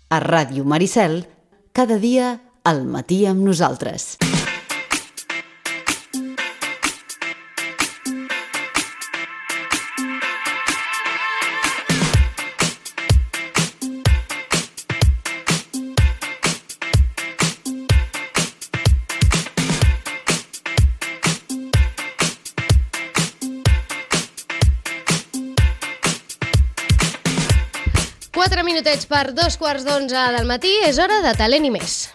A Ràdio Maricel, cada dia al matí amb nosaltres. Minutets per 2:15 del matí, és hora de Talent i més.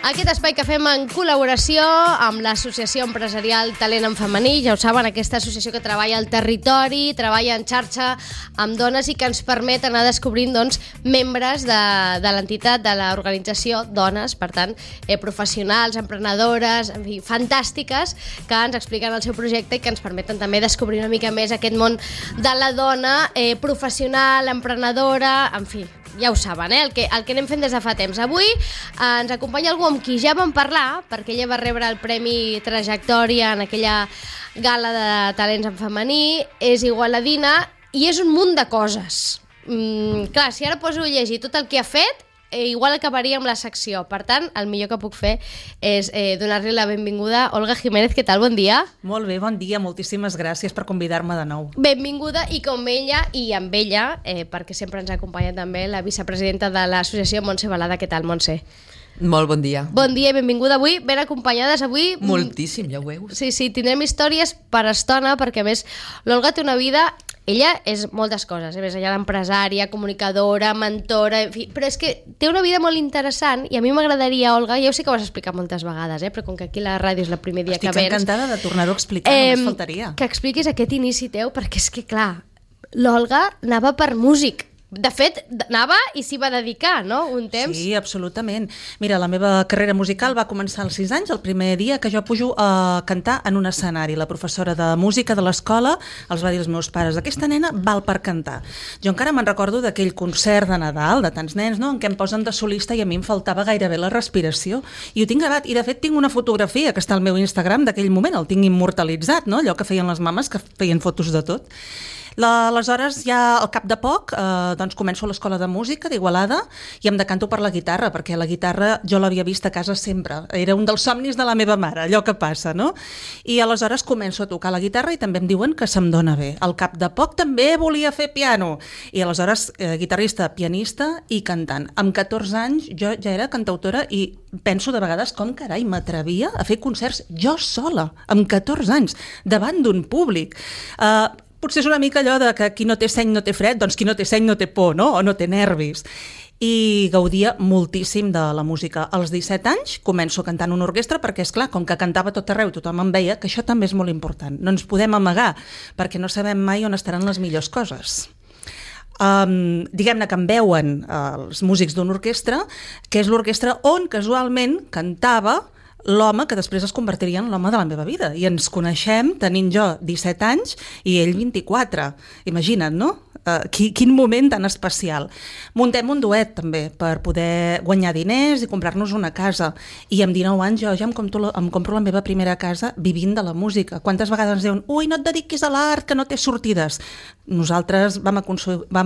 Aquest espai que fem en col·laboració amb l'Associació Empresarial Talent en Femení, ja ho saben, aquesta associació que treballa al territori, treballa en xarxa amb dones i que ens permet anar descobrint membres de l'entitat, de l'organització, dones, per tant, professionals, emprenedores, en fi, fantàstiques, que ens expliquen el seu projecte i que ens permeten també descobrir una mica més aquest món de la dona professional, emprenedora, en fi. Ja ho saben, el que anem fent des de fa temps. Avui ens acompanya algú amb qui ja vam parlar, perquè ella va rebre el Premi Trajectòria en aquella gala de talents en femení, és igualadina i és un munt de coses. Clar, si ara poso a llegir tot el que ha fet, igual acabaria amb la secció. Per tant, el millor que puc fer és donar-li la benvinguda. Olga Jiménez, què tal? Bon dia. Molt bé, bon dia. Moltíssimes gràcies per convidar-me de nou. Benvinguda, i com ella i amb ella, perquè sempre ens acompanya també la vicepresidenta de l'associació, Montse Balada. Què tal, Montse? Molt bon dia. Bon dia i benvinguda avui, ben acompanyades avui. Moltíssim, ja ho veus. Sí, tindrem històries per estona, perquè a més l'Olga té una vida... Ella és moltes coses, més allà d'empresària, comunicadora, mentora, en fi, però és que té una vida molt interessant i a mi m'agradaria, Olga, ja ho sé que ho has explicat moltes vegades, però com que aquí la ràdio és el primer dia que vens... Estic encantada de tornar-ho a explicar, només faltaria. Que expliquis aquest inici teu, perquè és que, clar, l'Olga anava per músic. De fet, anava i s'hi va dedicar, no?, un temps. Sí, absolutament. Mira, la meva carrera musical va començar als 6 anys, el primer dia que jo pujo a cantar en un escenari. La professora de música de l'escola els va dir als meus pares: aquesta nena val per cantar. Jo encara me'n recordo d'aquell concert de Nadal, de tants nens, no?, en què em posen de solista i a mi em faltava gairebé la respiració. I ho tinc gravat, i de fet tinc una fotografia que està al meu Instagram d'aquell moment, el tinc immortalitzat, no?, allò que feien les mames, que feien fotos de tot. Aleshores, ja al cap de poc, començo a l'escola de música d'Igualada i em decanto per la guitarra, perquè la guitarra jo l'havia vist a casa sempre. Era un dels somnis de la meva mare, allò que passa, no? I aleshores començo a tocar la guitarra i també em diuen que se'm dona bé. Al cap de poc també volia fer piano. I aleshores, guitarrista, pianista i cantant. Amb 14 anys jo ja era cantautora i penso de vegades com, carai, m'atrevia a fer concerts jo sola, amb 14 anys, davant d'un públic. Potser és una mica allò de que qui no té seny no té fred, doncs qui no té seny no té por, no?, o no té nervis. I gaudia moltíssim de la música. Als 17 anys començo a cantar en una orquestra perquè, és clar, com que cantava tot arreu, tothom em veia, que això també és molt important. No ens podem amagar, perquè no sabem mai on estaran les millors coses. Diguem-ne que em veuen els músics d'una orquestra, que és l'orquestra on casualment cantava l'home que després es convertiria en l'home de la meva vida. I ens coneixem tenint jo 17 anys i ell 24. Imagina't, no? Quin moment tan especial. Muntem un duet també per poder guanyar diners i comprar-nos una casa. I amb 19 anys jo ja em compro la meva primera casa vivint de la música. Quantes vegades ens diuen: ui, no et dediquis a l'art, que no té sortides. Nosaltres vam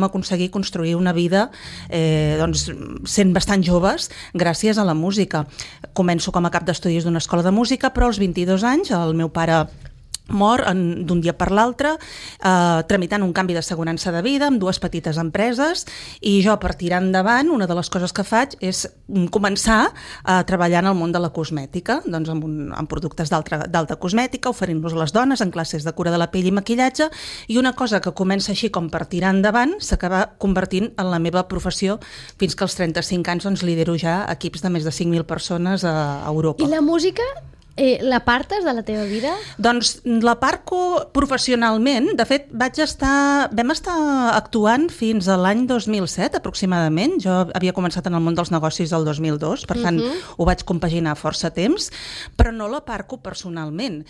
aconseguir construir una vida sent bastant joves gràcies a la música. Començo com a cap d'estudis d'una escola de música, però als 22 anys el meu pare mor d'un dia per l'altre, tramitant un canvi d'assegurança de vida amb 2 petites empreses, i jo, per tirar endavant, una de les coses que faig és començar a treballar en el món de la cosmètica, doncs amb productes d'alta cosmètica, oferint-los a les dones en classes de cura de la pell i maquillatge, i una cosa que comença així com per tirar endavant s'acaba convertint en la meva professió, fins que als 35 anys lidero ja equips de més de 5.000 persones a Europa. I la música? L'apartes de la teva vida? Doncs l'aparco professionalment. De fet, vam estar actuant fins a l'any 2007 aproximadament. Jo havia començat en el món dels negocis el 2002, per tant ho vaig compaginar força temps, però no l'aparco personalment.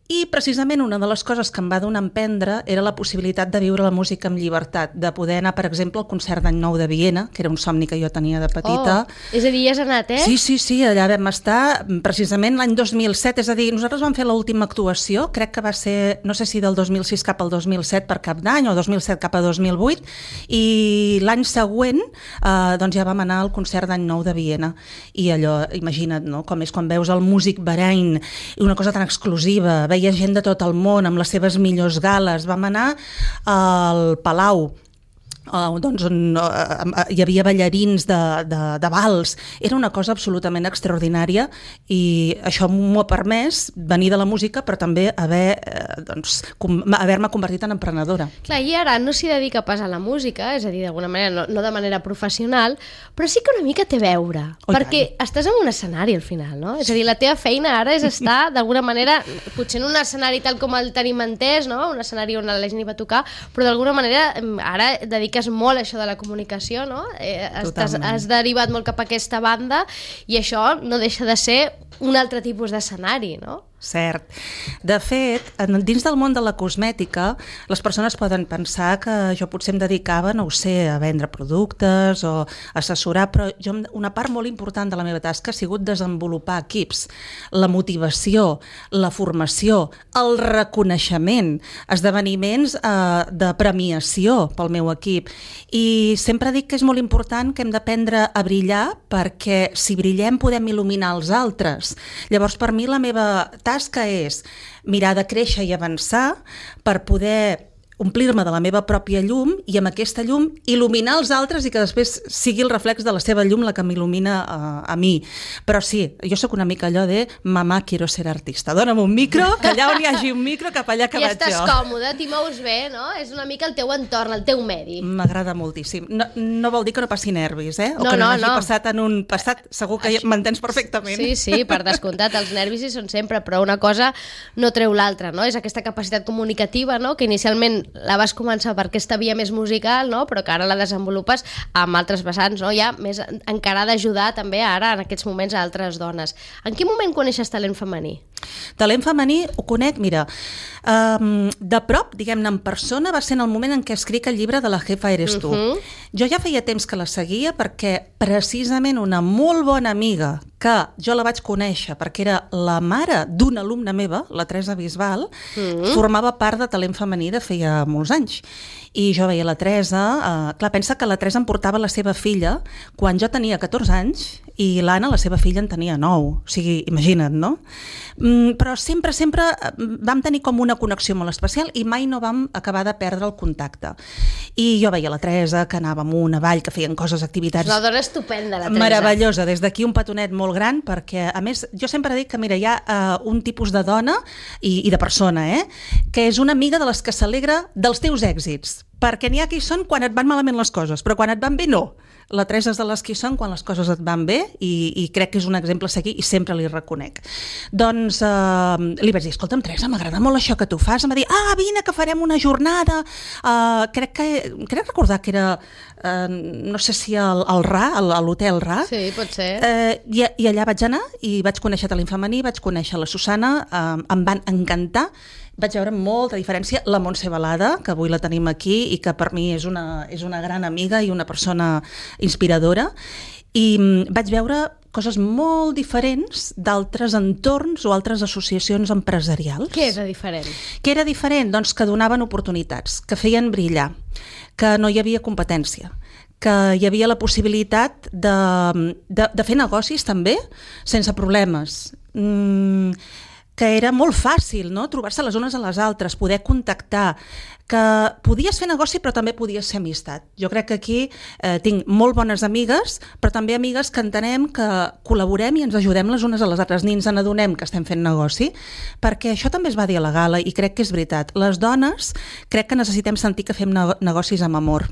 I precisament una de les coses que em va donar a emprendre era la possibilitat de viure la música amb llibertat, de poder anar, per exemple, al concert d'Any Nou de Viena, que era un somni que jo tenia de petita. És a dir, ja has anat, Sí, allà vam estar precisament l'any 2007, és a dir, nosaltres vam fer l'última actuació, crec que va ser, no sé si del 2006 cap al 2007 per Cap d'Any o 2007 cap a 2008, i l'any següent doncs ja vam anar al concert d'Any Nou de Viena, i allò, imagina't, no?, com és quan veus el músic Bahrain, una cosa tan exclusiva, veia gent de tot el món amb les seves millors gales. Vam anar al Palau, doncs on hi havia ballarins de vals. Era una cosa absolutament extraordinària i això m'ho ha permès venir de la música, però també haver-me convertit en emprenedora. Clar, i ara no s'hi dedica pas a la música, és a dir, d'alguna manera, no de manera professional, però sí que una mica té a veure, perquè estàs en un escenari al final, no? És a dir, la teva feina ara és estar d'alguna manera, potser en un escenari tal com el tenim entès, no? Un escenari on la gent hi va tocar, però d'alguna manera ara dediques molt això de la comunicació, no? Has derivat molt cap a aquesta banda i això no deixa de ser un altre tipus d'escenari, no? Cert. De fet, dins del món de la cosmètica, les persones poden pensar que jo potser em dedicava, no ho sé, a vendre productes o assessorar, però una part molt important de la meva tasca ha sigut desenvolupar equips, la motivació, la formació, el reconeixement, esdeveniments de premiació pel meu equip. I sempre dic que és molt important que hem d'aprendre a brillar, perquè si brillem podem il·luminar els altres. Llavors, per mi la meva tasca és mirar de créixer i avançar per poder omplir-me de la meva pròpia llum i amb aquesta llum il·luminar els altres i que després sigui el reflex de la seva llum la que m'il·lumina a mi. Però sí, jo sóc una mica allò de mamà, quiero ser artista. Dóna'm un micro, que allà on hi hagi un micro, cap allà que vaig jo. I estàs còmode, t'hi mous bé, no? És una mica el teu entorn, el teu medi. M'agrada moltíssim. No vol dir que no passi nervis, o no, que no hagi no. passat en un passat. Segur que m'entens perfectament. Sí, per descomptat, els nervis hi són sempre, però una cosa no treu l'altra, no? És aquesta capacitat comunicativa, no?, que inicialment la vas començar per aquesta via més musical, no?, però que ara la desenvolupes amb altres vessants, no?, ja més encara d'ajudar també ara en aquests moments a altres dones. En quin moment coneixes talent femení? Talent femení ho conec, mira, de prop, diguem-ne, en persona, va ser en el moment en què escric el llibre de La jefa eres tu. Jo ja feia temps que la seguia perquè precisament una molt bona amiga que jo la vaig conèixer perquè era la mare d'una alumna meva, la Teresa Bisbal, formava part de talent femení de feia molts anys. I jo veia la Teresa, clar, pensa que la Teresa em portava la seva filla quan jo tenia 14 anys i l'Anna, la seva filla, en tenia 9. O sigui, imagina't, no? Però sempre vam tenir com una connexió molt especial i mai no vam acabar de perdre el contacte. I jo veia la Teresa, que anava amunt, avall, que feien coses, activitats... És una dona estupenda, la Teresa. Meravellosa, des d'aquí un petonet molt gran, perquè, a més, jo sempre dic que, mira, hi ha un tipus de dona i de persona, que és una amiga de les que s'alegra dels teus èxits, perquè n'hi ha que hi són quan et van malament les coses, però quan et van bé no. La Teresa és de les que hi són quan les coses et van bé i crec que és un exemple a seguir i sempre li reconec. Doncs li vaig dir, escolta'm, Teresa, m'agrada molt això que tu fas. Em va dir, vine que farem una jornada. Crec recordar que era, no sé si al Ra, a l'hotel Ra. Sí, pot ser. I allà vaig anar i vaig conèixer talent femení, vaig conèixer la Susana, em van encantar. Vaig veure molta diferència la Montse Balada, que avui la tenim aquí i que per mi és una gran amiga i una persona inspiradora, i vaig veure coses molt diferents d'altres entorns o altres associacions empresarials. Què era diferent? Què era diferent? Doncs que donaven oportunitats, que feien brillar, que no hi havia competència, que hi havia la possibilitat de fer negocis també sense problemes, que era molt fàcil, no?, trobar-se les unes a les altres, poder contactar, que podies fer negoci però també podies fer amistat. Jo crec que aquí tinc molt bones amigues, però també amigues que entenem que col·laborem i ens ajudem les unes a les altres, ni ens n'adonem que estem fent negoci, perquè això també es va dir a la gala i crec que és veritat. Les dones crec que necessitem sentir que fem negocis amb amor,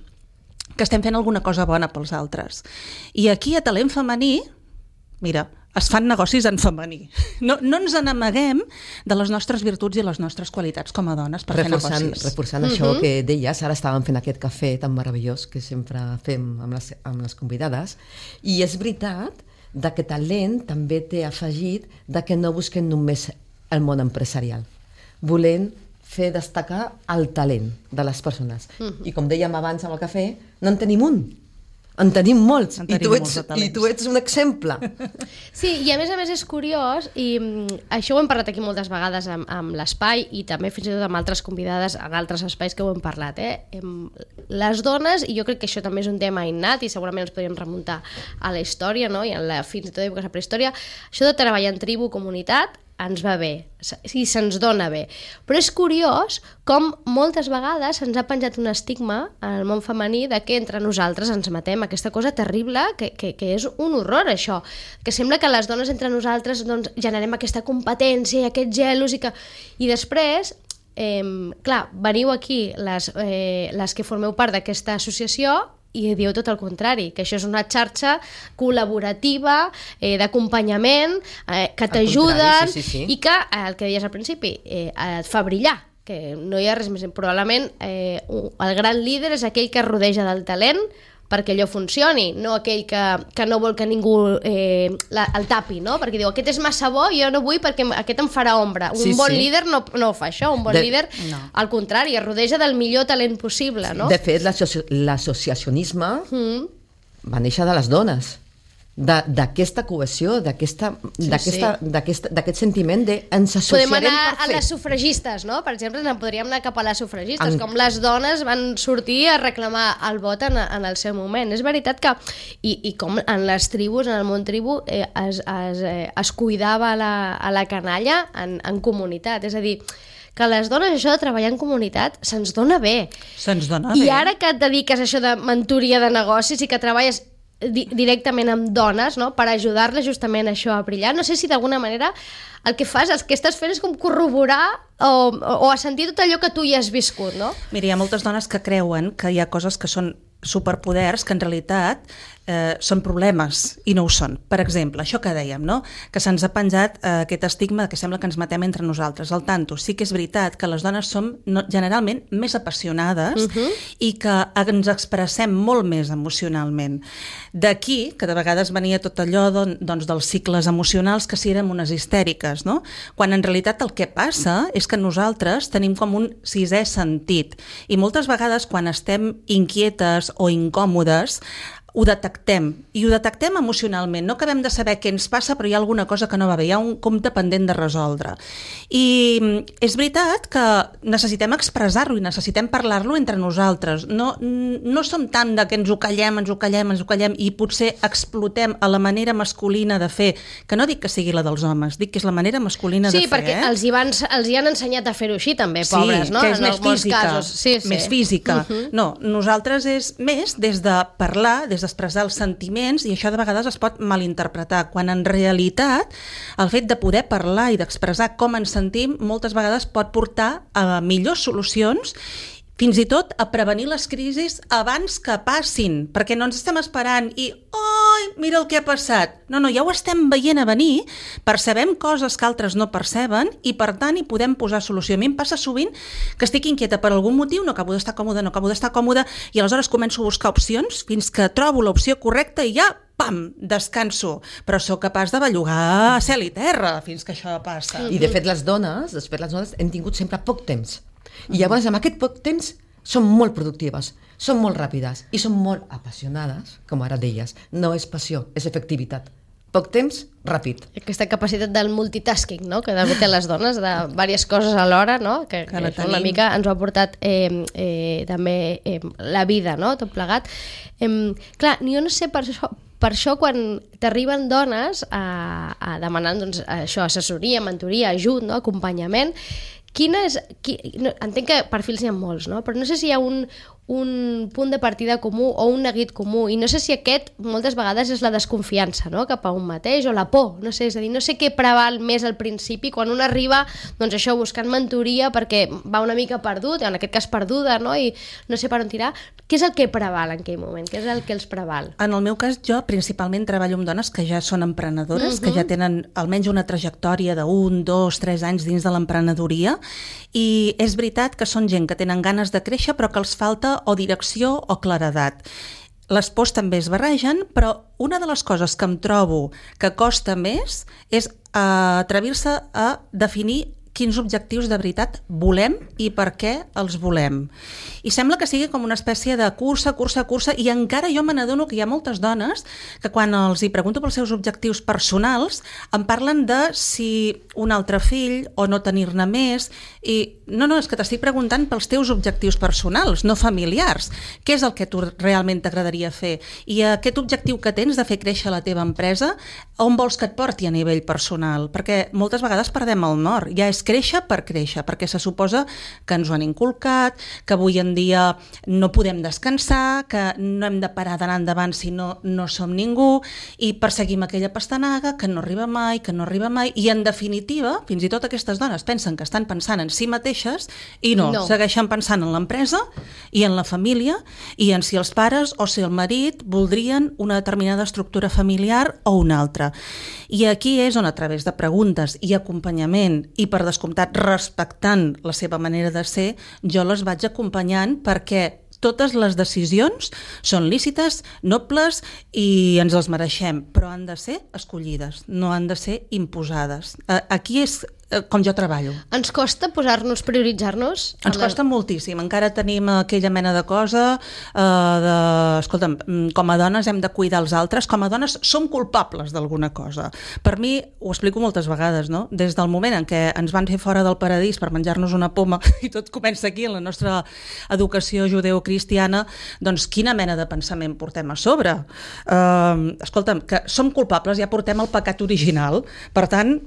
que estem fent alguna cosa bona pels altres. I aquí a Talent Femení, mira, es fan negocis en femení. No ens n'amaguem de les nostres virtuts i les nostres qualitats com a dones per fer negocis. Reforçant això que deies, ara estàvem fent aquest cafè tan meravellós que sempre fem amb les convidades, i és veritat que talent també té afegit que no busquen només el món empresarial. volent fer destacar el talent de les persones. I com dèiem abans amb el cafè, no en tenim un, en tenim molts, i tu ets un exemple. Sí, i a més és curiós, i això ho hem parlat aquí moltes vegades amb l'espai, i també fins i tot amb altres convidades en altres espais que ho hem parlat. Les dones, i jo crec que això també és un tema innat, i segurament ens podríem remuntar a la història, no? I fins i tot èpoques de prehistòria, això de treballar en tribu, comunitat, ens va bé, i se'ns dona bé. Però és curiós com moltes vegades se'ns ha penjat un estigma al món femení de que entre nosaltres ens matem, aquesta cosa terrible, que és un horror, això. Que sembla que les dones entre nosaltres doncs, generem aquesta competència i aquest gelos, i després, clar, veniu aquí les que formeu part d'aquesta associació i dieu tot el contrari, que això és una xarxa col·laborativa, d'acompanyament, que t'ajuden, i que, el que deies al principi, et fa brillar, que no hi ha res més. Probablement el gran líder és aquell que es rodeja del talent perquè allò funcioni, no aquell que no vol que ningú el tapi, no? Perquè diu, aquest és massa bo i jo no vull perquè aquest em farà ombra. Un bon líder no ho fa això, un bon líder al contrari, es rodeja del millor talent possible, no? De fet, l'associacionisme va néixer de les dones, d'aquesta cohesió, d'aquest sentiment de ens associarem per fer. Podem anar a les sufragistes, no? Per exemple, podríem anar cap a les sufragistes, com les dones van sortir a reclamar el vot en el seu moment. És veritat que, i com en les tribus, en el món tribu, es cuidava a la canalla en comunitat, és a dir, que les dones, això de treballar en comunitat, se'ns dona bé. Se'ns dona bé. I ara que et dediques a això de mentoria de negocis i que treballes directament amb dones, no? Per ajudar-les justament a això a brillar, no sé si d'alguna manera el que estàs fent és com corroborar o a sentir tot allò que tu ja has viscut, no? Mira, hi ha moltes dones que creuen que hi ha coses que són superpoders que en realitat són problemes i no ho són. Per exemple, això que dèiem, no? Que se'ns ha penjat aquest estigma que sembla que ens matem entre nosaltres. Al tanto, sí que és veritat que les dones som generalment més apassionades i que ens expressem molt més emocionalment. D'aquí, que de vegades venia tot allò doncs, dels cicles emocionals que si érem unes histèriques, no? Quan en realitat el que passa és que nosaltres tenim com un sisè sentit i moltes vegades quan estem inquietes o incòmodes ho detectem, i ho detectem emocionalment. No acabem de saber què ens passa, però hi ha alguna cosa que no va bé, hi ha un compte pendent de resoldre. I és veritat que necessitem expressar-lo i necessitem parlar-lo entre nosaltres. No som tant de que ens ho callem i potser explotem a la manera masculina de fer, que no dic que sigui la dels homes, dic que és la manera masculina de fer. Sí, perquè els hi han ensenyat a fer-ho així també, pobres, no? Sí, que és més física, més física. No, nosaltres és més des de parlar, des d'expressar els sentiments, i això de vegades es pot malinterpretar, quan en realitat el fet de poder parlar i d'expressar com ens sentim moltes vegades pot portar a millors solucions, fins i tot a prevenir les crisis abans que passin, perquè no ens estem esperant i oi, mira el que ha passat. No, ja ho estem veient a venir, percebem coses que altres no perceben i per tant hi podem posar solució. A mi em passa sovint que estic inquieta per algun motiu, no acabo d'estar còmoda i aleshores començo a buscar opcions fins que trobo l'opció correcta i ja pam, descanso, però sóc capaç de bellugar a cel i terra fins que això passa. I de fet les dones hem tingut sempre poc temps. I llavors amb aquest poc temps són molt productives, són molt ràpides i són molt apassionades, com ara deies. No és passió, és efectivitat. Poc temps, ràpid. Aquesta capacitat del multitasking, no? Que té les dones, de diverses coses alhora, no? Que una mica ens ho ha portat també la vida, no? Tot plegat. Clar, jo no sé per això quan t'arriben dones a demanar doncs, això, assessoria, mentoria, ajut, no? Acompanyament, entenc que perfils n'hi ha molts, no? Però no sé si hi ha un punt de partida comú o un neguit comú, i no sé si aquest moltes vegades és la desconfiança, no? Cap a un mateix, o la por, no sé, és a dir, no sé què preval més al principi quan un arriba, doncs això, buscant mentoria perquè va una mica perdut, en aquest cas perduda, no? I no sé per on tirar. Què és el que preval en aquell moment? Què és el que els preval? En el meu cas, jo principalment treballo amb dones que ja són emprenedores, que ja tenen almenys una trajectòria de 1, 2, 3 anys dins de l'emprenedoria, i és veritat que són gent que tenen ganes de créixer però que els falta o direcció o claredat. Les pors també es barregen, però una de les coses que em trobo que costa més és atrevir-se a definir quins objectius de veritat volem i per què els volem. I sembla que sigui com una espècie de cursa, i encara jo me n'adono que hi ha moltes dones que quan els hi pregunto pels seus objectius personals em parlen de si un altre fill o no tenir-ne més, i no, és que t'estic preguntant pels teus objectius personals, no familiars. Què és el que tu realment t'agradaria fer? I aquest objectiu que tens de fer créixer la teva empresa, on vols que et porti a nivell personal? Perquè moltes vegades perdem el nord. Ja és créixer, perquè se suposa que ens ho han inculcat, que avui en dia no podem descansar, que no hem de parar d'anar endavant si no som ningú, i perseguim aquella pastanaga que no arriba mai, i en definitiva, fins i tot aquestes dones pensen que estan pensant en si mateixes i no. Segueixen pensant en l'empresa i en la família i en si els pares o si el marit voldrien una determinada estructura familiar o una altra. I aquí és on, a través de preguntes i acompanyament, i per descomptat respectant la seva manera de ser, jo les vaig acompanyant perquè totes les decisions són lícites, nobles i ens les mereixem, però han de ser escollides, no han de ser imposades. Aquí és com jo treballo. Ens costa posar-nos, prioritzar-nos? Ens costa moltíssim. Encara tenim aquella mena de cosa escolta'm, com a dones hem de cuidar els altres, com a dones som culpables d'alguna cosa. Per mi, ho explico moltes vegades, no? Des del moment en què ens van fer fora del paradís per menjar-nos una poma, i tot comença aquí en la nostra educació judeocristiana, doncs quina mena de pensament portem a sobre? Escolta'm, que som culpables, ja portem el pecat original. Per tant,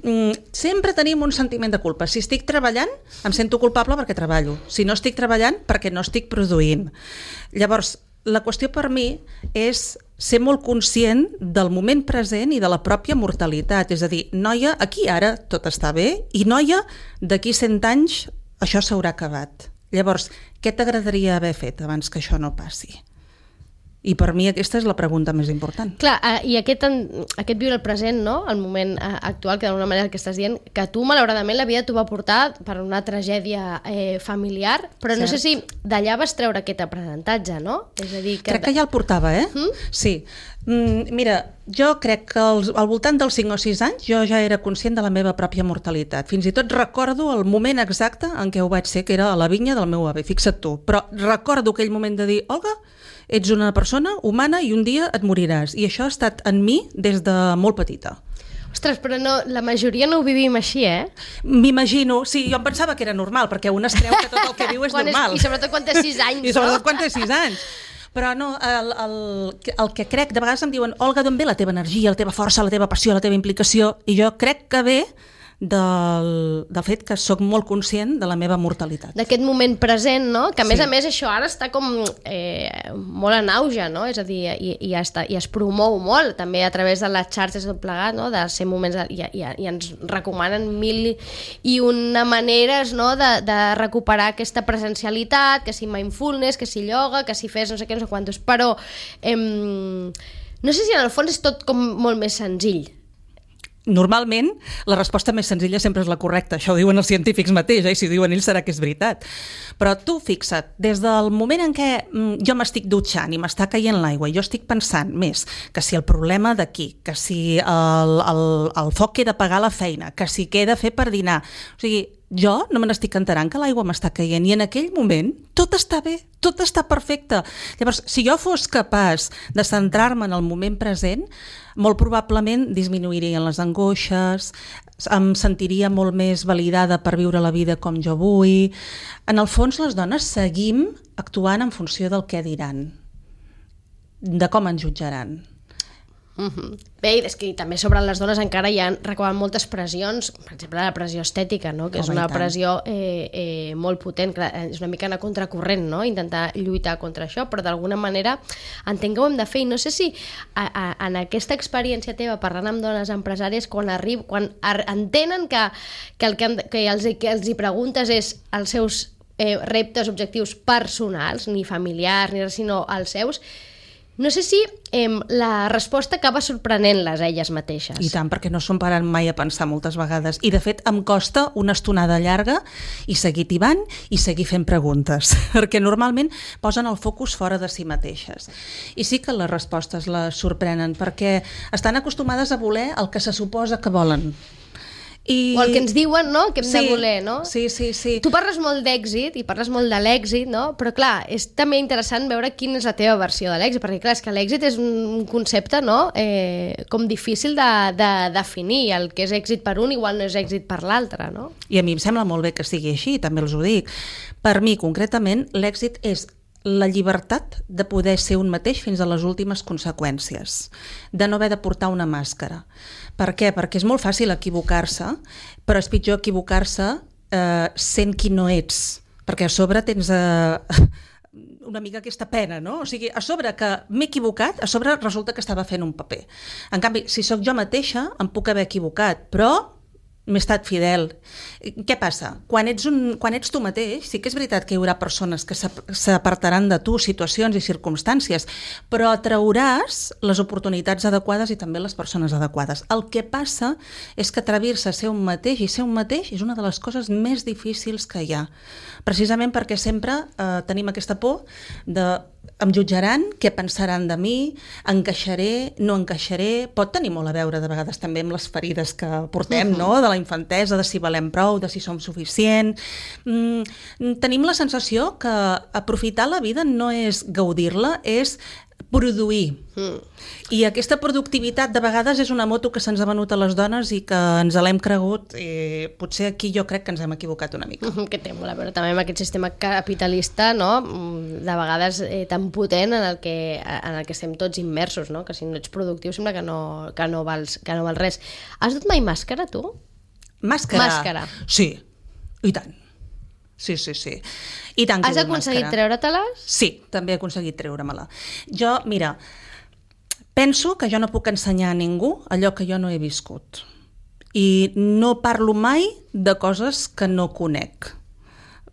sempre tenim un sentiment de culpa. Si estic treballant, em sento culpable perquè treballo. Si no estic treballant, perquè no estic produint. Llavors, la qüestió per mi és ser molt conscient del moment present i de la pròpia mortalitat. És a dir, noia, aquí ara tot està bé, i noia, d'aquí 100 anys això s'haurà acabat. Llavors, què t'agradaria haver fet abans que això no passi? I per mi aquesta és la pregunta més important. Clar, i aquest viure el present, no? El moment actual, que d'alguna manera que estàs dient, que tu, malauradament, la vida t'ho va portar per una tragèdia familiar, però no sé si d'allà vas treure aquest aprenentatge, no? És a dir, crec que ja el portava, Sí. Mira, jo crec que al voltant dels 5 o 6 anys jo ja era conscient de la meva pròpia mortalitat. Fins i tot recordo el moment exacte en què ho vaig ser, que era a la vinya del meu avi, fixa't tu. Però recordo aquell moment de dir, Olga, ets una persona humana i un dia et moriràs. I això ha estat en mi des de molt petita. Ostres, però no, la majoria no ho vivim així, M'imagino, sí, jo em pensava que era normal, perquè un es creu que tot el que viu és normal. I sobretot quan té 6 anys, I sobretot quan té 6 anys. Però no, el que crec, de vegades em diuen, Olga, d'on ve la teva energia, la teva força, la teva passió, la teva implicació? I jo crec que ve del fet que sóc molt conscient de la meva mortalitat. D'aquest moment present, no? Que a més això ara està com molt en auge, no? És a dir, i es promou molt també a través de les xarxes tot plegat, no? De ser moments, i ens recomanen 1001 maneres, no? De recuperar aquesta presencialitat, que si mindfulness, que si ioga, que si fes no sé què, no sé quantos, però no sé si en el fons és tot com molt més senzill. Normalment, la resposta més senzilla sempre és la correcta. Això ho diuen els científics mateix, i si ho diuen ells serà que és veritat. Però tu fixa't, des del moment en què jo m'estic dutxant i m'està caient l'aigua i jo estic pensant més que si el problema d'aquí, que si el foc que he de pagar a la feina, que si què he de fer per dinar... O sigui, jo no me n'estic enterant que l'aigua m'està caient, i en aquell moment tot està bé, tot està perfecte. Llavors, si jo fos capaç de centrar-me en el moment present, molt probablement disminuirien les angoixes, em sentiria molt més validada per viure la vida com jo vull. En el fons, les dones seguim actuant en funció del què diran, de com ens jutjaran. Bé, és que també sobre les dones encara hi ha recoben moltes pressions, per exemple la pressió estètica, no? Que és una pressió molt potent, és una mica anar contracorrent, no? Intentar lluitar contra això, però d'alguna manera entenc que ho hem de fer, i no sé si en aquesta experiència teva parlant amb dones empresàries, quan entenen que el que els hi preguntes és els seus reptes, objectius personals, ni familiars, ni res, sinó els seus. No sé si la resposta acaba sorprenent-les a elles mateixes. I tant, perquè no s'ho paren mai a pensar moltes vegades. I, de fet, em costa una estonada llarga i seguir tibant i seguir fent preguntes, perquè normalment posen el focus fora de si mateixes. I sí que les respostes les sorprenen, perquè estan acostumades a voler el que se suposa que volen. O el que ens diuen, no?, que hem de voler, no? Sí. Tu parles molt d'èxit i parles molt de l'èxit, no? Però clar, és també interessant veure quina és la teva versió de l'èxit, perquè clar, és que l'èxit és un concepte, no?, com difícil de definir. El que és èxit per un igual no és èxit per l'altre, no? I a mi em sembla molt bé que sigui així, també els ho dic. Per mi, concretament, l'èxit és la llibertat de poder ser un mateix fins a les últimes conseqüències, de no haver de portar una màscara. Per què? Perquè és molt fàcil equivocar-se, però és pitjor equivocar-se sent qui no ets, perquè a sobre tens una mica aquesta pena, no? O sigui, a sobre que m'he equivocat, a sobre resulta que estava fent un paper. En canvi, si sóc jo mateixa, em puc haver equivocat, però m'he estat fidel. Què passa? Quan ets tu mateix, sí que és veritat que hi haurà persones que s'apartaran de tu, situacions i circumstàncies, però atrauràs les oportunitats adequades i també les persones adequades. El que passa és que atrevir-se a ser un mateix i ser un mateix és una de les coses més difícils que hi ha. Precisament perquè sempre tenim aquesta por de em jutjaran, què pensaran de mi, encaixaré, no encaixaré, pot tenir molt a veure de vegades també amb les ferides que portem, no?, de la infantesa, de si valem prou, de si som suficient. Tenim la sensació que aprofitar la vida no és gaudir-la, és produir. I aquesta productivitat de vegades és una moto que se'ns ha venut a les dones i que ens l'hem cregut i potser aquí jo crec que ens hem equivocat una mica. Que té molt a veure també amb aquest sistema capitalista, no?, de vegades tan potent en el que estem tots immersos, no?, que si no ets productiu sembla que no vals res. Has dut mai màscara, tu? Màscara? Sí, i tant. Sí. I tant que has aconseguit treure-te-les? Sí, també he aconseguit treure-me-la. Jo, mira, penso que jo no puc ensenyar a ningú allò que jo no he viscut. I no parlo mai de coses que no conec.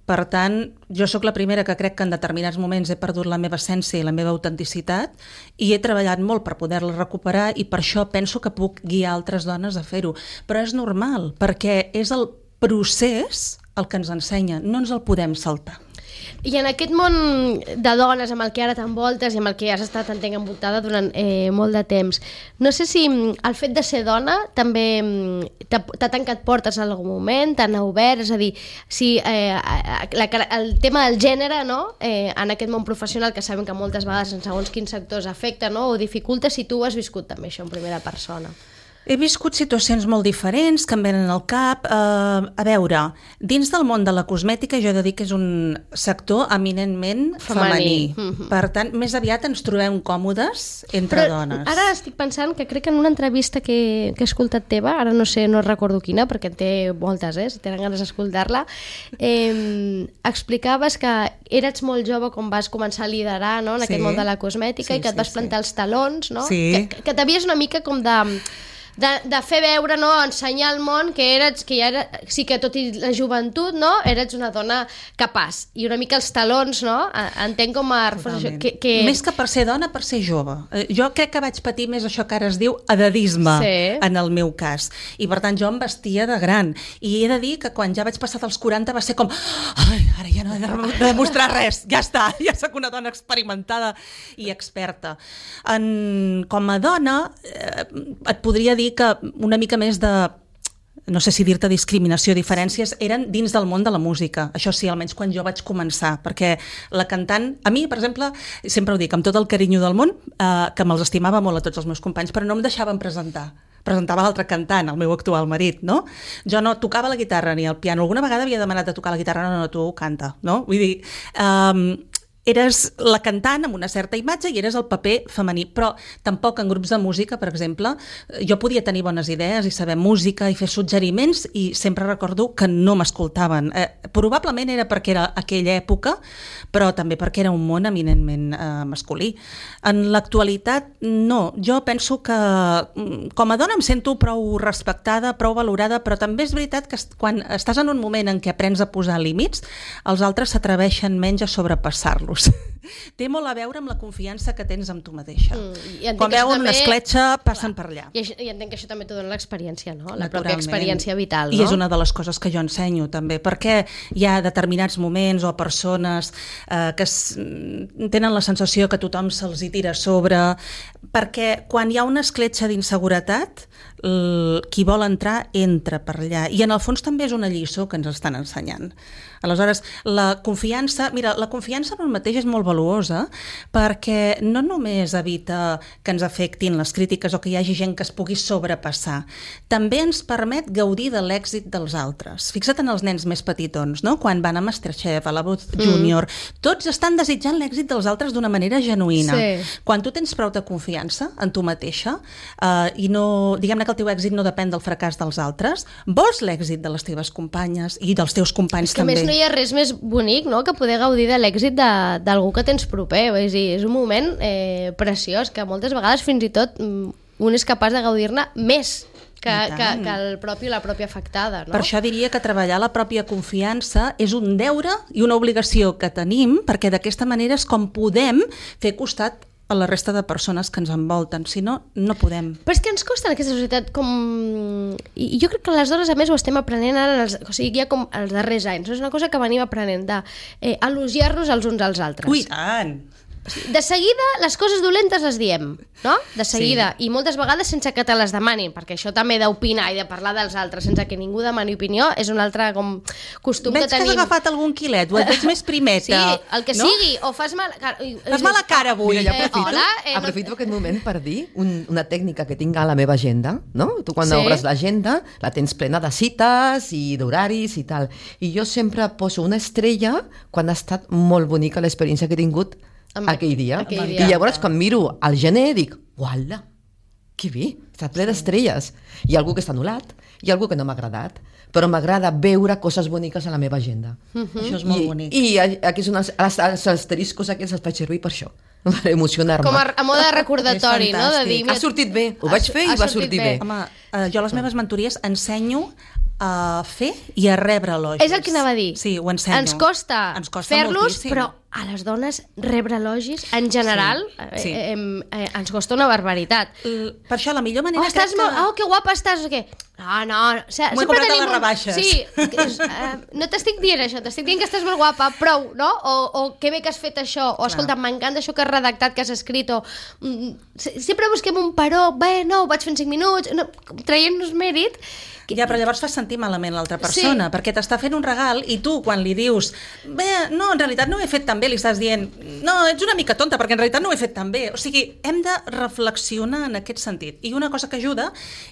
Per tant, jo sóc la primera que crec que en determinats moments he perdut la meva essència i la meva autenticitat i he treballat molt per poder-la recuperar i per això penso que puc guiar altres dones a fer-ho. Però és normal, perquè és el procés el que ens ensenya, no ens el podem saltar. I en aquest món de dones amb el que ara t'envoltes i amb el que has estat, entenc, envoltada durant molt de temps, no sé si el fet de ser dona també t'ha tancat portes en algun moment, t'ha obert, és a dir, si el tema del gènere, no?, en aquest món professional, que sabem que moltes vegades en segons quins sectors afecta, no?, o dificulta, si tu has viscut també això en primera persona. He viscut situacions molt diferents que em venen al cap. A veure, dins del món de la cosmètica jo he de dir que és un sector eminentment femení. Per tant, més aviat ens trobem còmodes entre dones. Ara estic pensant que crec que en una entrevista que he escoltat teva, ara no recordo quina, perquè en té moltes, si tenen ganes d'escoltar-la, explicaves que eres molt jove quan vas començar a liderar, no?, en aquest món de la cosmètica, i que et vas plantar els talons, no? Que t'havies una mica com de fer veure, no?, ensenyar al món que sí que tot i la joventut, no?, eres una dona capaç. I una mica els talons, no?, entenc com a reforç. Més que per ser dona, per ser jove. Jo crec que vaig patir més això que ara es diu edadisme, en el meu cas. I per tant jo em vestia de gran. I he de dir que quan ja vaig passar dels 40 va ser com ara ja no he de demostrar res, ja està, ja soc una dona experimentada i experta. Com a dona et podria dir que una mica més de, no sé si dir-te discriminació, diferències, eren dins del món de la música. Això sí, almenys quan jo vaig començar, perquè la cantant, a mi, per exemple, sempre ho dic, amb tot el carinyo del món, que me'ls estimava molt a tots els meus companys, però no em deixaven presentava l'altre cantant, el meu actual marit, no? Jo no tocava la guitarra ni el piano. Alguna vegada havia demanat de tocar la guitarra, no, tu canta, no? Vull dir, eres la cantant amb una certa imatge i eres el paper femení, però tampoc en grups de música, per exemple, jo podia tenir bones idees i saber música i fer suggeriments i sempre recordo que no m'escoltaven. Probablement era perquè era aquella època, però també perquè era un món eminentment masculí. En l'actualitat, no. Jo penso que com a dona em sento prou respectada, prou valorada, però també és veritat que quan estàs en un moment en què aprens a posar límits, els altres s'atreveixen menys a sobrepassar-los. té molt a veure amb la confiança que tens amb tu mateixa. I entenc Quan que això veuen una també- escletxa, passen per allà. I entenc que això també t'ho dona l'experiència, no? La pròpia Naturalment. experiència vital, no? I és una de les coses que jo ensenyo també, perquè hi ha determinats moments o persones que tenen la sensació que tothom se'ls hi tira a sobre, perquè quan hi ha una escletxa d'inseguretat, qui vol entrar entra per allà, i en el fons també és una lliçó que ens estan ensenyant. Aleshores, la confiança en un mateix és molt valuosa, perquè no només evita que ens afectin les crítiques o que hi hagi gent que es pugui sobrepassar, també ens permet gaudir de l'èxit dels altres. Fixa't en els nens més petitons, no? Quan van a Masterchef, a la Voz Junior, tots estan desitjant l'èxit dels altres d'una manera genuïna. Sí. Quan tu tens prou de confiança en tu mateixa i no, diguem-ne que el teu èxit no depèn del fracàs dels altres, vols l'èxit de les teves companyes i dels teus companys Que a també. més no hi ha res més bonic, no?, que poder gaudir de l'èxit d'algú que tens proper. És dir, és un moment preciós que moltes vegades fins i tot un és capaç de gaudir-ne més que el propi o la pròpia afectada, no? Per això diria que treballar la pròpia confiança és un deure i una obligació que tenim, perquè d'aquesta manera és com podem fer costat a la resta de persones que ens envolten, si no, no podem. Però és que ens costa en aquesta societat com... I jo crec que les dones a més ho estem aprenent ara, o sigui, ja com els darrers anys, no? És una cosa que venim aprenent d'elogiar-nos els uns als altres. Ui, tant! De seguida, les coses dolentes les diem, no? De seguida. Sí. I moltes vegades sense que te les demanin, perquè això també d'opinar i de parlar dels altres sense que ningú demani opinió és un altre com costum Veig que tenim. que has agafat algun quilet, o et veig més primeta. Sí, el que no? sigui, o fas mal... Fas mala cara avui. Mira, jo aprofito, hola, aprofito aquest moment per dir una tècnica que tinc a la meva agenda, no? Tu quan Sí. obres l'agenda la tens plena de cites i d'horaris i tal. I jo sempre poso una estrella quan ha estat molt bonica l'experiència que he tingut aquell dia. I llavors quan miro al gener dic, uala, que bé, està ple d'estrelles. Hi ha algú que està anul·lat, hi ha algú que no m'ha agradat, però m'agrada veure coses boniques a la meva agenda. Això és molt bonic. I aquí són els asteriscos aquests els faig servir per això, per emocionar-me. Com a mode de recordatori, És no? De fantàstic. dir, Ha sortit bé, ho vaig fer i va sortir bé. Home, jo a les meves mentories ensenyo a fer i a rebre elogis. És el que anava a dir. Sí, ho ensenyo. Ens costa fer-los, moltíssim. però a les dones rebre elogis, en general, Sí. ens costa una barbaritat. Per això la millor manera Estàs crec que... molt... Oh, que guapa estàs! O què? No. O sigui, M'ho he comprat a les rebaixes. Sí, no t'estic dient això, t'estic dient que estàs molt guapa, prou, no? O que bé que has fet això, o escolta, m'encanta això que has redactat, que has escrit, o sempre busquem un però, bé, no, ho vaig fer en 5 minuts, no, traient-nos mèrit. Ja, però llavors fas sentir malament l'altra persona, perquè t'està fent un regal i tu, quan li dius bé, no, en realitat no ho he fet tan bé, li estàs dient no, ets una mica tonta, perquè en realitat no ho he fet tan bé. O sigui, hem de reflexionar en aquest sentit. I una cosa que ajuda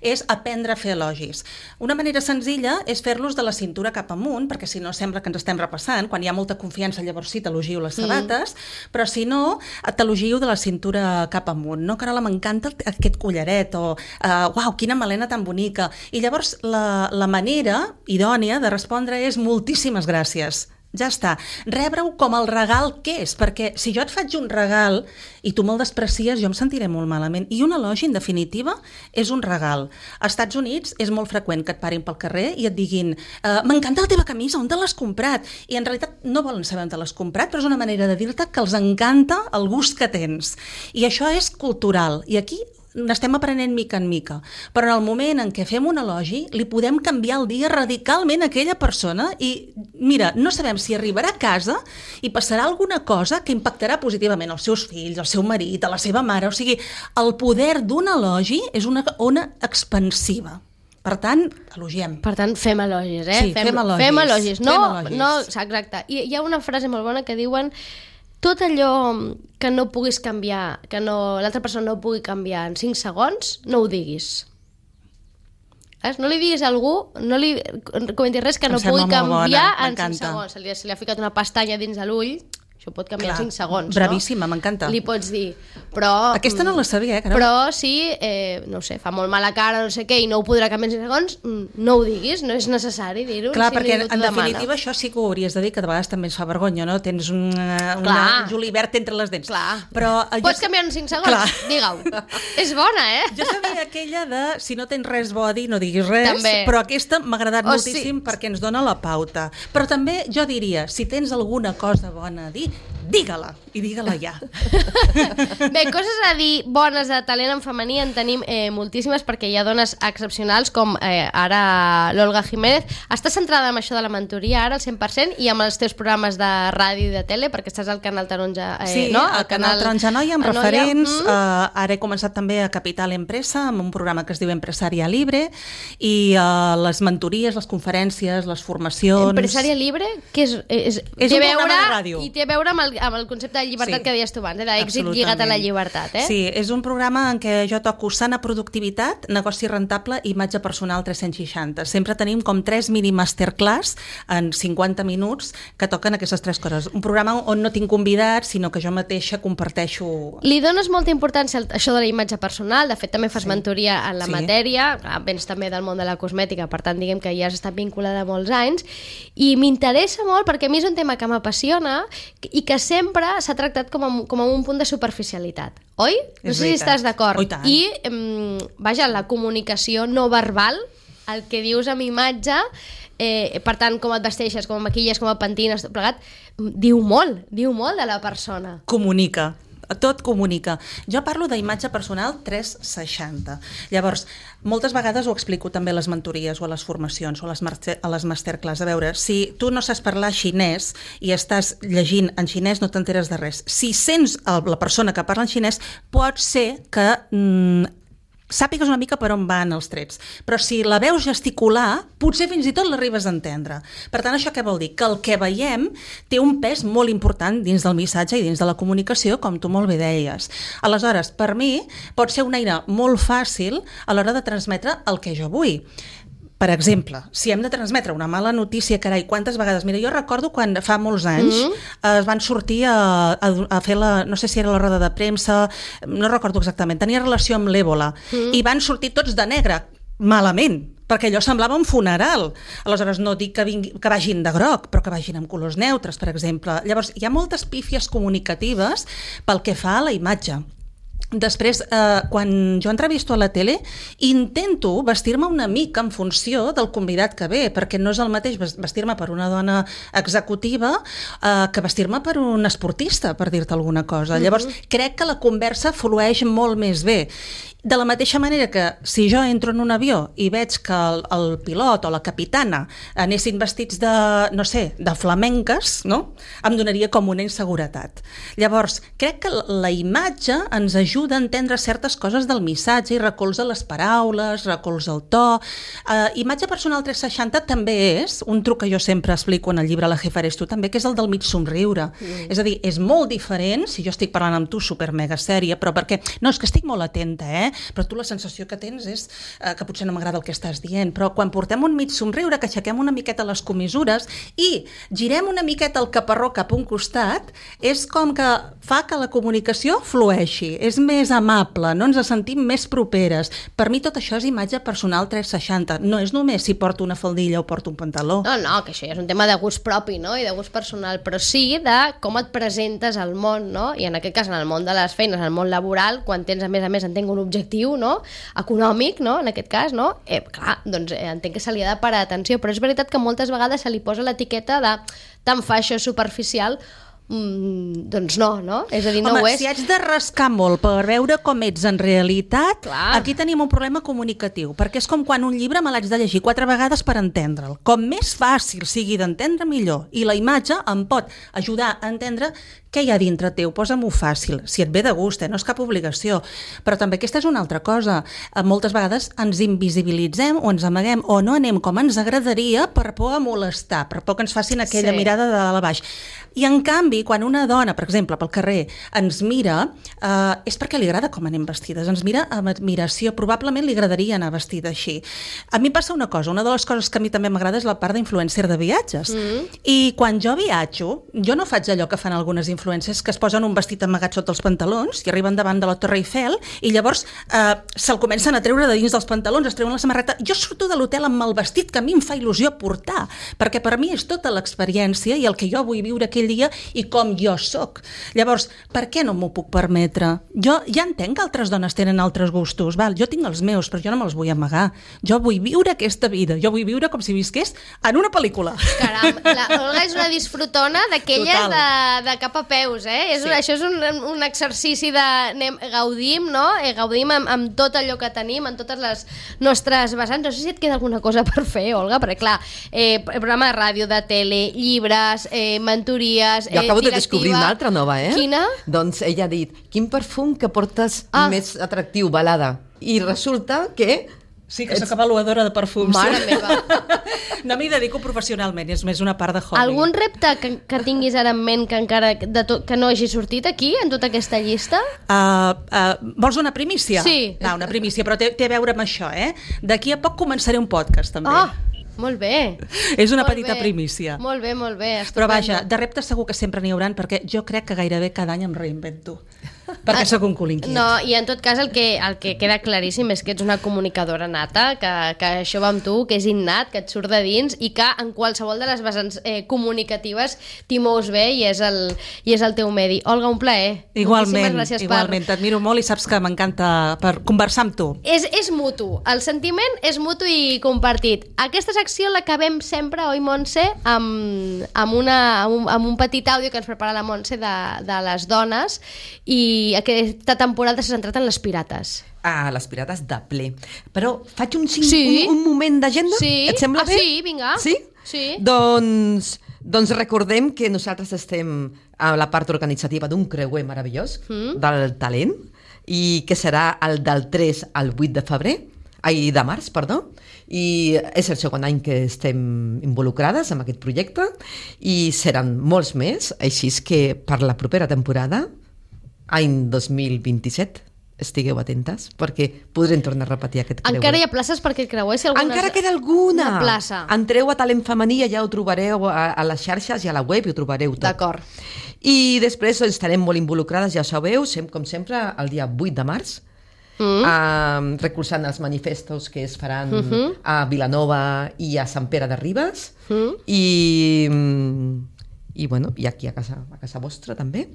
és aprendre a fer elogis. Una manera senzilla és fer-los de la cintura cap amunt, perquè si no sembla que ens estem repassant. Quan hi ha molta confiança, llavors sí, t'elogio les sabates, però si no, t'elogio de la cintura cap amunt. No, Carola, m'encanta aquest collaret, o uau, quina melena tan bonica. I llavors la manera idònia de respondre és moltíssimes gràcies. Ja està. Rebre-ho com el regal que és, perquè si jo et faig un regal i tu me'l desprecies, jo em sentiré molt malament. I un elogi, en definitiva, és un regal. Als Estats Units és molt freqüent que et parin pel carrer i et diguin m'encanta la teva camisa, on te l'has comprat? I en realitat no volen saber on te l'has comprat, però és una manera de dir-te que els encanta el gust que tens. I això és cultural. I aquí n'estem aprenent mica en mica, però en el moment en què fem un elogi li podem canviar el dia radicalment a aquella persona i mira, no sabem si arribarà a casa i passarà alguna cosa que impactarà positivament als seus fills, al seu marit, a la seva mare. O sigui, el poder d'un elogi és una ona expansiva. Per tant, elogiem. Per tant, fem elogis, Sí, fem elogis. Fem elogis. No, Fem elogis. no, exacte. I hi ha una frase molt bona que diuen tot allò que no puguis canviar, que l'altra persona no pugui canviar en 5 segons, no ho diguis. No li diguis a algú, no li comentis res que no pugui canviar en 5 segons. Se li ha ficat una pestanya dins de l'ull, això pot canviar en 5 segons, bravíssima, no? m'encanta. Li pots dir, però... Aquesta no la sabia, Carola. Però si, no sé, fa molt mala cara, no sé què, i no ho podrà canviar en 5 segons, no ho diguis, no és necessari dir-ho. Clar, si perquè ningú t'ho en demana. definitiva això sí que ho hauries de dir, que de vegades també ens fa vergonya, no? Tens un julivert entre les dents. Clar. Però, pots canviar en 5 segons? Clar. Digue-ho. És bona, Jo sabia aquella de si no tens res bo a dir, no diguis res, També. però aquesta m'ha agradat moltíssim sí. perquè ens dona la pauta. Però també jo diria, si tens alguna cosa bona a dir, digue-la, i digue-la ja. Bé, coses a dir bones de talent en femení en tenim moltíssimes, perquè hi ha dones excepcionals com ara l'Olga Jiménez. Estàs centrada en això de la mentoria ara al 100% i amb els teus programes de ràdio i de tele, perquè estàs al Canal Taronja, sí, no? al Canal Taronja Noia, amb referents. Ara he començat també a Capital Empresa, amb un programa que es diu Empresaria Libre, i les mentories, les conferències, les formacions... Empresaria Libre, que és un programa de ràdio. I té a veure amb el concepte de llibertat que deies tu abans, d'èxit lligat a la llibertat. Sí, és un programa en què jo toco sana productivitat, negoci rentable i imatge personal 360. Sempre tenim com 3 mini masterclass en 50 minuts que toquen aquestes 3 coses. Un programa on no tinc convidats, sinó que jo mateixa comparteixo... Li dones molta importància a això de la imatge personal, de fet també fas mentoria en la matèria, vens també del món de la cosmètica, per tant diguem que ja has estat vinculada molts anys, i m'interessa molt perquè a mi és un tema que m'apassiona i que sempre s'ha tractat com a un punt de superficialitat, oi? No sé si estàs d'acord. I, vaja, la comunicació no verbal, el que dius amb imatge, per tant, com et vesteixes, com et maquilles, com et pentines, tot plegat, diu molt de la persona. Comunica. Tot comunica. Jo parlo d'imatge personal 360. Llavors, moltes vegades ho explico també a les mentories o a les formacions o a les masterclass. A veure, si tu no saps parlar xinès i estàs llegint en xinès, no t'enteres de res. Si sents la persona que parla en xinès, pot ser que sàpigues una mica per on van els trets, però si la veus gesticular, potser fins i tot l'arribes a entendre. Per tant, això què vol dir? Que el que veiem té un pes molt important dins del missatge i dins de la comunicació, com tu molt bé deies. Aleshores, per mi, pot ser una eina molt fàcil a l'hora de transmetre el que jo vull. Per exemple, si hem de transmetre una mala notícia, carai, quantes vegades... Mira, jo recordo quan fa molts anys es van sortir a fer no sé si era la roda de premsa, no recordo exactament, tenia relació amb l'Ébola, i van sortir tots de negre, malament, perquè allò semblava un funeral. Aleshores, no dic que vagin de groc, però que vagin amb colors neutres, per exemple. Llavors, hi ha moltes pífies comunicatives pel que fa a la imatge. Després, quan jo entrevisto a la tele, intento vestir-me una mica en funció del convidat que ve, perquè no és el mateix vestir-me per una dona executiva que vestir-me per un esportista, per dir-te alguna cosa. Llavors, crec que la conversa flueix molt més bé. De la mateixa manera que si jo entro en un avió i veig que el pilot o la capitana anessin vestits de, no sé, de flamenques, no? Em donaria com una inseguretat. Llavors, crec que la imatge ens ajuda a entendre certes coses del missatge i recolza les paraules, recolza el to. Imatge personal 360 també és un truc que jo sempre explico en el llibre La jefa eres tu també, que és el del mig somriure. És a dir, és molt diferent si jo estic parlant amb tu super mega sèria, però perquè, no, és que estic molt atenta, però tu la sensació que tens és que potser no m'agrada el que estàs dient, però quan portem un mig somriure, que aixequem una miqueta les comissures i girem una miqueta el caparró cap a un costat, és com que fa que la comunicació flueixi, és més amable, no ens sentim més properes. Per mi tot això és imatge personal 360, no és només si porto una faldilla o porto un pantaló. No, que això ja és un tema de gust propi, no? I de gust personal, però sí de com et presentes al món, no? I en aquest cas, en el món de les feines, en el món laboral, quan tens, a més, entenc un objectiu, no? Econòmic, no? En aquest cas, no? Clar, doncs entenc que se li ha de parar atenció, però és veritat que moltes vegades se li posa l'etiqueta de tan fa això superficial, doncs no? És a dir, no ho és. Si haig de rascar molt per veure com ets en realitat, clar, aquí tenim un problema comunicatiu, perquè és com quan un llibre me l'haig de llegir 4 vegades per entendre'l. Com més fàcil sigui d'entendre, millor. I la imatge em pot ajudar a entendre què hi ha dintre teu, posa-m'ho fàcil, si et ve de gust, no és cap obligació. Però també aquesta és una altra cosa. Moltes vegades ens invisibilitzem o ens amaguem o no anem com ens agradaria per por a molestar, per por que ens facin aquella mirada de dalt a baix. I en canvi, quan una dona, per exemple, pel carrer, ens mira, és perquè li agrada com anem vestides, ens mira amb admiració, probablement li agradaria anar vestida així. A mi passa una cosa, una de les coses que a mi també m'agrada és la part d'influencer de viatges. I quan jo viatjo, jo no faig allò que fan algunes influencers que es posen un vestit amagat sota els pantalons i arriben davant de la Torre Eiffel i llavors se'l comencen a treure de dins dels pantalons, es treuen la samarreta. Jo surto de l'hotel amb el vestit que a mi em fa il·lusió portar, perquè per mi és tota l'experiència i el que jo vull viure aquell dia i i com jo sóc. Llavors, per què no m'ho puc permetre? Jo ja entenc que altres dones tenen altres gustos, val? Jo tinc els meus, però jo no me'ls vull amagar. Jo vull viure aquesta vida, jo vull viure com si visqués en una pel·lícula. Caram, la Olga és una disfrutona d'aquelles de cap a peus, eh? Això és un exercici de gaudim, no? Gaudim amb tot allò que tenim, en totes les nostres vessants. No sé si et queda alguna cosa per fer, Olga, perquè clar, programa de ràdio, de tele, llibres, mentories, jo acabo de descobrir una altra nova, eh? Quina? Doncs ella ha dit, quin perfum que portes més atractiu, balada. I resulta que... Sí, que soc avaluadora de perfums. Mare meva. No m'hi dedico professionalment, és més una part de hobby. Algun repte que tinguis ara en ment que encara que no hagi sortit aquí, en tota aquesta llista? Vols una primícia? Sí. No, una primícia, però té a veure amb això, eh? D'aquí a poc començaré un podcast, també. Molt bé. És una petita primícia. Molt bé, molt bé. Estupendo. Però vaja, de reptes segur que sempre n'hi hauran, perquè jo crec que gairebé cada any em reinvento. Perquè sóc un cul inquiet. No, i en tot cas el que queda claríssim és que ets una comunicadora nata, que això va amb tu, que és innat, que et surt de dins i que en qualsevol de les vessants comunicatives t'hi mous bé i és el teu medi. Olga, un plaer. Igualment, t'admiro molt i saps que m'encanta per conversar amb tu. És mutu, el sentiment és mutu i compartit. Aquesta secció l'acabem sempre, oi Montse, amb un petit àudio que ens prepara la Montse de les dones, i aquesta temporada s'ha centrat en les pirates. Les pirates de ple. Però faig un moment d'agenda? Sí. Et sembla bé? Sí, vinga. Sí? Sí. Doncs recordem que nosaltres estem a la part organitzativa d'un creuer meravellós del talent, i que serà el del 3 al 8 de març, i és el segon any que estem involucrades en aquest projecte i seran molts més, així que per la propera temporada, any 2027, estigueu atentes, perquè podrem tornar a repetir aquest creuer. Encara hi ha places per aquest creuer? Si encara queda alguna plaça. Entreu a Talent Femení, ja ho trobareu a les xarxes i a la web, i ho trobareu tot. D'acord. I després estarem molt involucrades, ja sabeu, com sempre, el dia 8 de març, recolzant els manifestos que es faran a Vilanova i a Sant Pere de Ribes, i aquí a casa vostra també.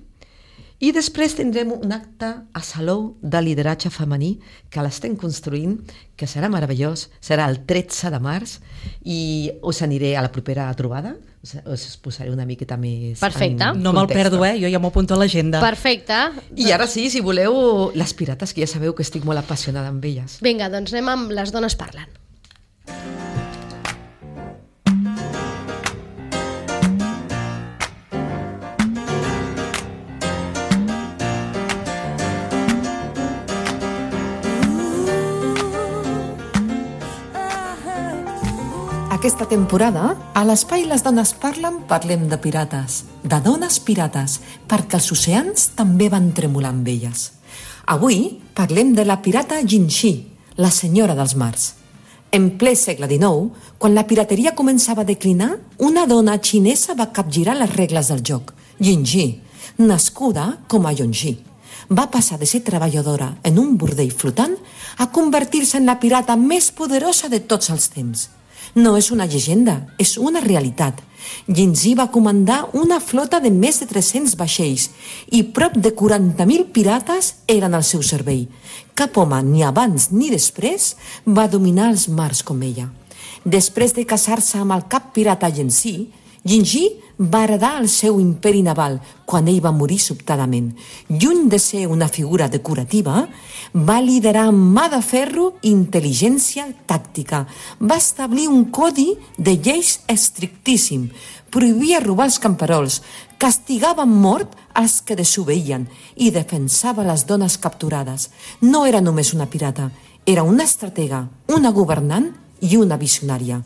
I després tindrem un acte a Salou de lideratge femení que l'estem construint, que serà meravellós, serà el 13 de març, i us aniré a la propera trobada, us posaré una miqueta més. Perfecte. No me'l perdo, jo ja m'ho apunto a l'agenda. Perfecte. I ara sí, si voleu, les pirates, que ja sabeu que estic molt apassionada amb elles. Vinga, doncs anem amb Les dones parlen. Aquesta temporada, a l'Espai Les Dones Parlen, parlem de pirates, de dones pirates, perquè els oceans també van tremolar amb elles. Avui parlem de la pirata Jinxi, la senyora dels mars. En ple segle XIX, quan la pirateria començava a declinar, una dona xinesa va capgirar les regles del joc, Jinxi, nascuda com a Yongxi. Va passar de ser treballadora en un bordell flotant a convertir-se en la pirata més poderosa de tots els temps. No és una llegenda, és una realitat. Jinxi va comandar una flota de més de 300 vaixells i prop de 40.000 pirates eren al seu servei. Cap home, ni abans ni després, va dominar els mars com ella. Després de casar-se amb el cap pirata Jinxi, Jinxi va heredar el seu imperi naval quan ell va morir sobtadament. Lluny de ser una figura decorativa, va liderar amb mà de ferro i intel·ligència tàctica. Va establir un codi de lleis estrictíssim, prohibia robar els camperols, castigava amb mort els que desobeïen i defensava les dones capturades. No era només una pirata, era una estratega, una governant i una visionària.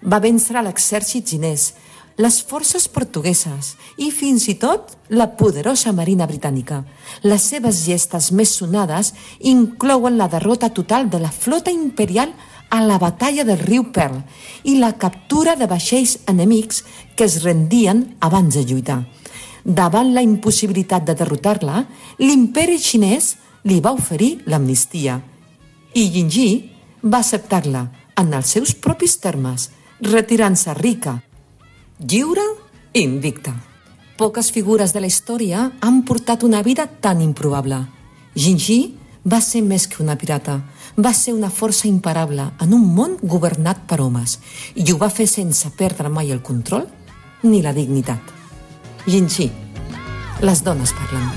Va vèncer l'exèrcit xinès, les forces portugueses i fins i tot la poderosa marina britànica. Les seves gestes més sonades inclouen la derrota total de la flota imperial a la batalla del riu Pearl i la captura de vaixells enemics que es rendien abans de lluitar. Davant la impossibilitat de derrotar-la, l'imperi xinès li va oferir l'amnistia i Jinxi va acceptar-la en els seus propis termes, retirant-se rica, lliure i invicta. Poques figures de la història han portat una vida tan improbable. Gingí va ser més que una pirata. Va ser una força imparable en un món governat per homes i ho va fer sense perdre mai el control ni la dignitat. Gingí, les dones parlen.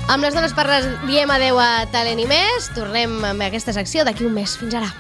Amb les dones parles diem adeu a Talent i més. Tornem amb aquesta secció d'aquí un mes. Fins ara.